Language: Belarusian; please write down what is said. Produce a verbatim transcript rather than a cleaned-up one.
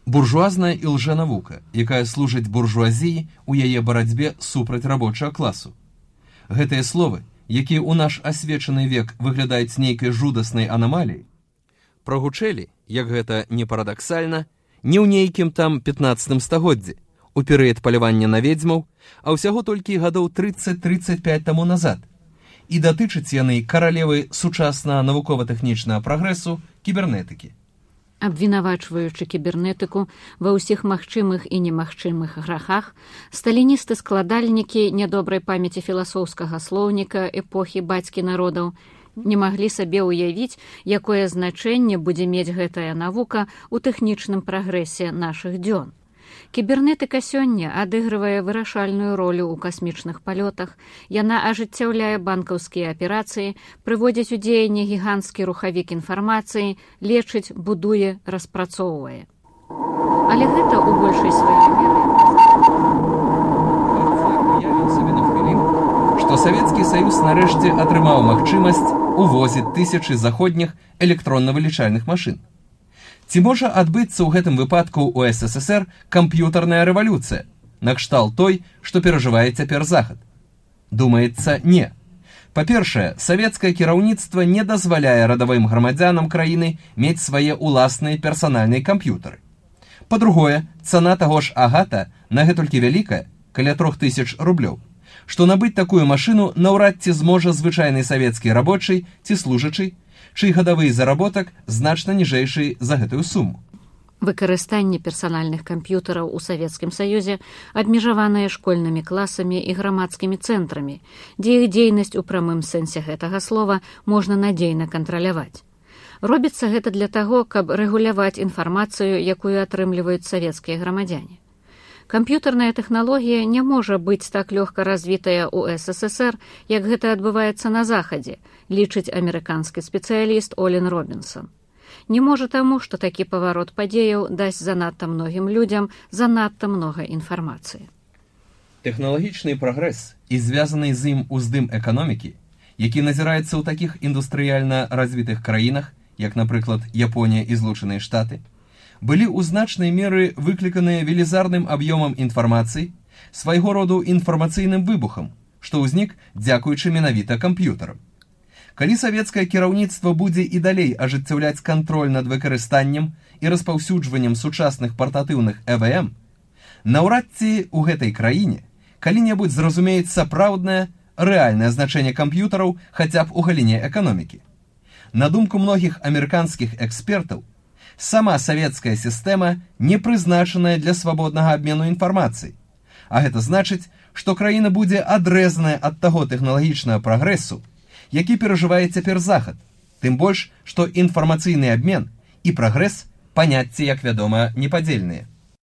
буржуазная і лжэнавука, якая служыць буржуазіі ў яе барацьбе супраць рабочага класу. Гэтыя словы, якія ў наш асвечаны век выглядаюць нейкай жудаснай анамаліяй, прогучэлі, як гэта не парадаксальна, не ў нейкім там пятнаццатым стагоддзі, у перыяд палявання на ведзьмаў, а ўсяго толькі гадоў трыццаць трыццаць пяць таму назад, і датычаць яны каралевы сучаснага навукова-тэхнічнага прагрэсу кібернетыкі. Абвінавачваючы кібернетыку ва ўсіх магчымых і немагчымых грахах, сталіністы-складальнікі нядобрай памяці філасофскага слоўніка эпохі бацькі народаў не маглі сабе ўявіць, якое значэнне будзе мець гэтая навука ў тэхнічным прагрэсе нашых дзён. Кібернетыка сёння адыгрывае вырашальную ролю ў касмічных палётах, яна ажыццяўляе банкаўскія аперацыі, прыводзіць у дзеянне гіганцкі рухавік інфармацыі, лечыць, будуе, распрацоўвае. Але гэта ў большай сваёй меры... Што Савецкі Саюз нарэшце атрымаў магчымасць увозіць тысячы заходніх электронна-вылічальных машын. Ці можа адбыцца ў гэтым выпадку ў эс эс эс эр камп'ютарная рэвалюцыя, накшталт той, што перажывае цяпер Захад? Думаецца, не. Па-першае, савецкае кіраўніцтва не дазваляе радавым грамадзянам краіны мець свае ўласныя персанальныя камп'ютары. Па-другое, цана таго ж агата на гэтулькі вялікая, каля трох тысяч рублёў, што набыць такую машыну наўрад ці зможа звычайны савецкі рабочы ці служачы, чый гадавы заработак значна ніжэйшы за гэтую суму. Выкарыстанне персанальных камп'ютараў у Савецкім Саюзе абмежаванае школьнымі класамі і грамадскімі цэнтрамі, дзе іх дзейнасць у прамым сэнсе гэтага слова можна надзейна кантраляваць. Робіцца гэта для таго, каб рэгуляваць інфармацыю, якую атрымліваюць савецкія грамадзяне. Камп'ютарная тэхналогія не можа быць так лёгка развітая ў эс эс эс эр, як гэта адбываецца на Захадзе, лічыць амерыканскі спецыяліст Олін Робінсон. Не можа таму, што такі паварот падзеяў дасць занадта многім людзям занадта многа інфармацыі. Тэхналагічны прагрэс і звязаны з ім уздым эканомікі, які назіраецца ў такіх індустрыяльна развітых краінах, як, напрыклад, Японія і Злучаныя Штаты, былі ў значнай меры выкліканыя велізарным аб'ёмам інфармацыі, свайго роду інфармацыйным выбухам, што ўзнік дзякуючы менавіта камп'ютарам. Калі савецкае кіраўніцтва будзе і далей ажыццяўляць кантроль над выкарыстаннем і распаўсюджваннем сучасных партатыўных э вэ эм, наўрад ці ў гэтай краіне калі-небудзь зразумеюць сапраўднае, рэальнае значэнне камп'ютараў хаця б у галіне эканомікі. На думку многіх амерыканскіх экспертаў, сама савецкая сістэма не прызначаная для свабоднага абмену інфармацыі, а гэта значыць, што краіна будзе адрэзаная ад таго тэхналагічнага прагрэсу, які перажывае цяпер Захад, тым больш, што інфармацыйны абмен і прагрэс паняцці, як вядома, непадзельныя.